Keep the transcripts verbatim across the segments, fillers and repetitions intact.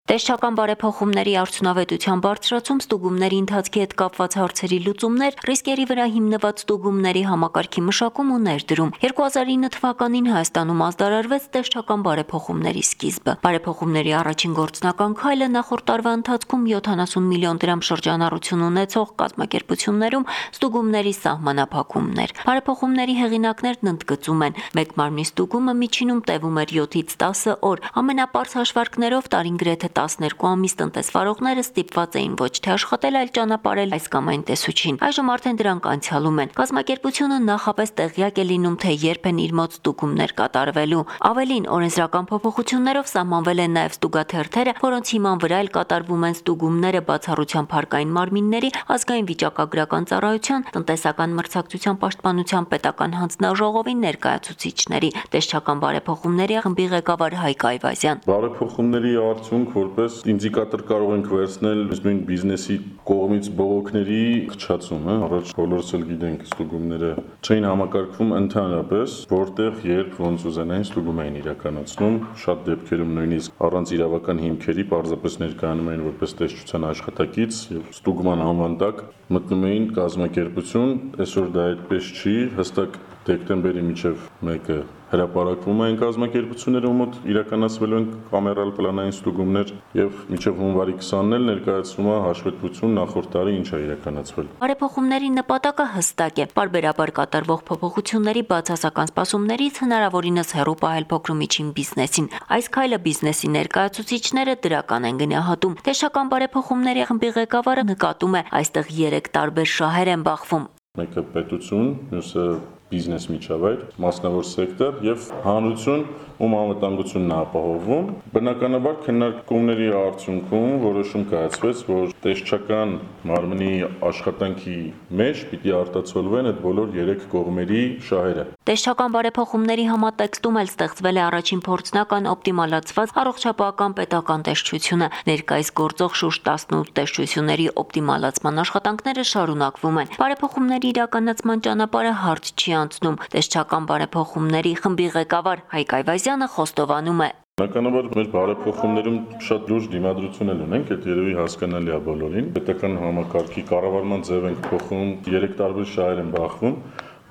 Տեսչական բարեփոխումների արդյունավետության բարձրացում, ստուգումների ընթացքի հետ կապված հարցերի լուծումներ, ռիսկերի վրա հիմնված ստուգումների համակարգի մշակում ու ներդրում։ երկու հազար ինը թվականին Հայաստանում ազդարարվեց տեսչական բարեփոխումների սկիզբը։ Բարեփոխումների առաջին գործնական քայլը նախորդ տարվա ընթացքում յոթանասուն միլիոն դրամ շրջանառություն ունեցող կազմակերպություններում ստուգումների սահմանափակումն էր։ Բարեփոխումների հեղինակներն ընդգծում են, մեկ մարմնի ստուգումը միջինում տևում էր յոթից տասը օր, ամենապարզ հաշվարկներով տարին գրեթե տասներկու ամիս տնտեսվարողները ստիպված էին ոչ թե աշխատել, այլ ճանապարհել այս կամ այն տեսուչին։ Այժմ արդեն դրանք անցյալում են։ Կազմակերպությունը նախապես տեղյակ է լինում, թե երբ են իր մոտ ստուգումներ կատարվելու։ Ավելին, օրենսդրական փոփոխություններով սահմանվել են նաև ստուգաթերթերը, որոնց հիման վրա էլ կատարվում են ստուգումները բացառությամբ հարկային մարմինների, ազգային վիճակագրական ծառայության, տնտեսական մրցակցության պաշտպանության պետական հանձնաժողովի ներկայացուցիչների, տեսչական բարեփոխումների խմբի ղեկավար Հայկ Այվազյան։ Բարեփոխումների արդյունք որպես ինդիկատոր կարող ենք վերցնել նույն բիզնեսի կողմից բողոքների խճացում, հա, առաջ բոլորս էլ գիտենք ստուգումները չէին համակարգվում ընդհանրապես, որտեղ երբ ոնց ուզենային ստուգում էին իրականացնում, շատ դեպքերում նույնիսկ առանց իրավական հիմքերի պարզապես ներկայանում էին որպես տեսչության աշխատակից եւ ստուգման անվան տակ մտնում էին կազմակերպություն, այսօր դա այդպես չի, հստակ դեկտեմբերի միջև մեկը հրապարակվում են կազմակերպությունները, ում մոտ իրականացվելու են կամերալ պլանային ստուգումներ եւ մինչեւ հունվարի քսանն էլ ներկայացվում է հաշվետվություն նախորդ տարի ինչ է իրականացվել։ Բարեփոխումների նպատակը հստակ է՝ պարբերաբար կատարվող փոփոխությունների բացասական սպասումներից հնարավորինս հեռու պահել փոքր ու միջին բիզնեսին։ Այս քայլը բիզնեսի ներկայացուցիչները դրական են գնահատում։ Տեսչական բարեփոխումների խմբի ղեկավարը նկատում է, այստեղ երեք տարբեր շահեր են բախվում։ Մեկը պետություն, մյուսը բիզնես միջավայր, մասնավոր սեկտոր եւ հանրություն, ում անվտանգությունն է ապահովում։ Բնականաբար քննարկումների արդյունքում որոշում կայացվեց, որ տեսչական մարմնի աշխատանքի մեջ պիտի արտացոլվեն այդ բոլոր երեք կողմերի շահերը։ Տեսչական բարեփոխումների համատեքստում էլ ստեղծվել է առաջին փորձնական օպտիմալացված առողջապահական պետական տեսչությունը։ Ներկայիս գործող շուրջ տասնութ տեսչությունների օպտիմալացման աշխատանքները շարունակվում են։ Բարեփոխումների իրականացման ճանապարհը հարթ չի անցնում։ Տեսչական բարեփոխումների խմբի ղեկավար Հայկ Այվազյանը խոստովանում է. Բնականաբար մեր բարեփոխումներում շատ լուրջ դիմադրություն էլ ունենք, այդ երևի հասկանալի է բոլորին։ Պետական համակարգի կառավարման ձև ենք փոխում, երեք տարբեր շահեր են բախվում,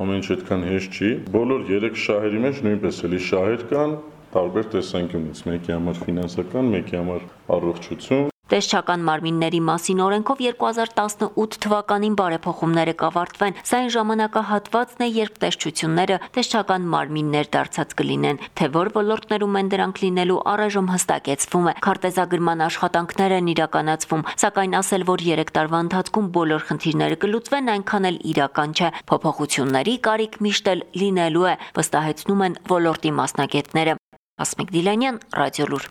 ամեն ինչ այդքան հեշտ չի։ Բոլոր երեք շահերի մեջ նույնպես էլի շահեր կան տարբեր տեսանկյունից, մեկի համար ֆինանսական, մեկի համար առողջություն։ Տեսչական մարմինների մասին օրենքով երկու հազար տասնութ թվականին բարեփոխումները կավարտվեն։ Սա այն ժամանակահատվածն է, երբ տեսչությունները տեսչական մարմիններ դարձած կլինեն։ Թե որ ոլորտներում են դրանք լինելու, առայժմ հստակեցվում է։ Քարտեզագրման աշխատանքներ են իրականացվում, սակայն ասել, որ երեք տարվա ընթացքում բոլոր խնդիրները կլուծվեն, այնքան էլ իրական չէ։ Փոփոխությունների կարիք միշտ էլ լինելու է, վստահեցնում են ոլորտի մասնագետները։ Ասմիկ Դիլանյան, Ռադիոլուր։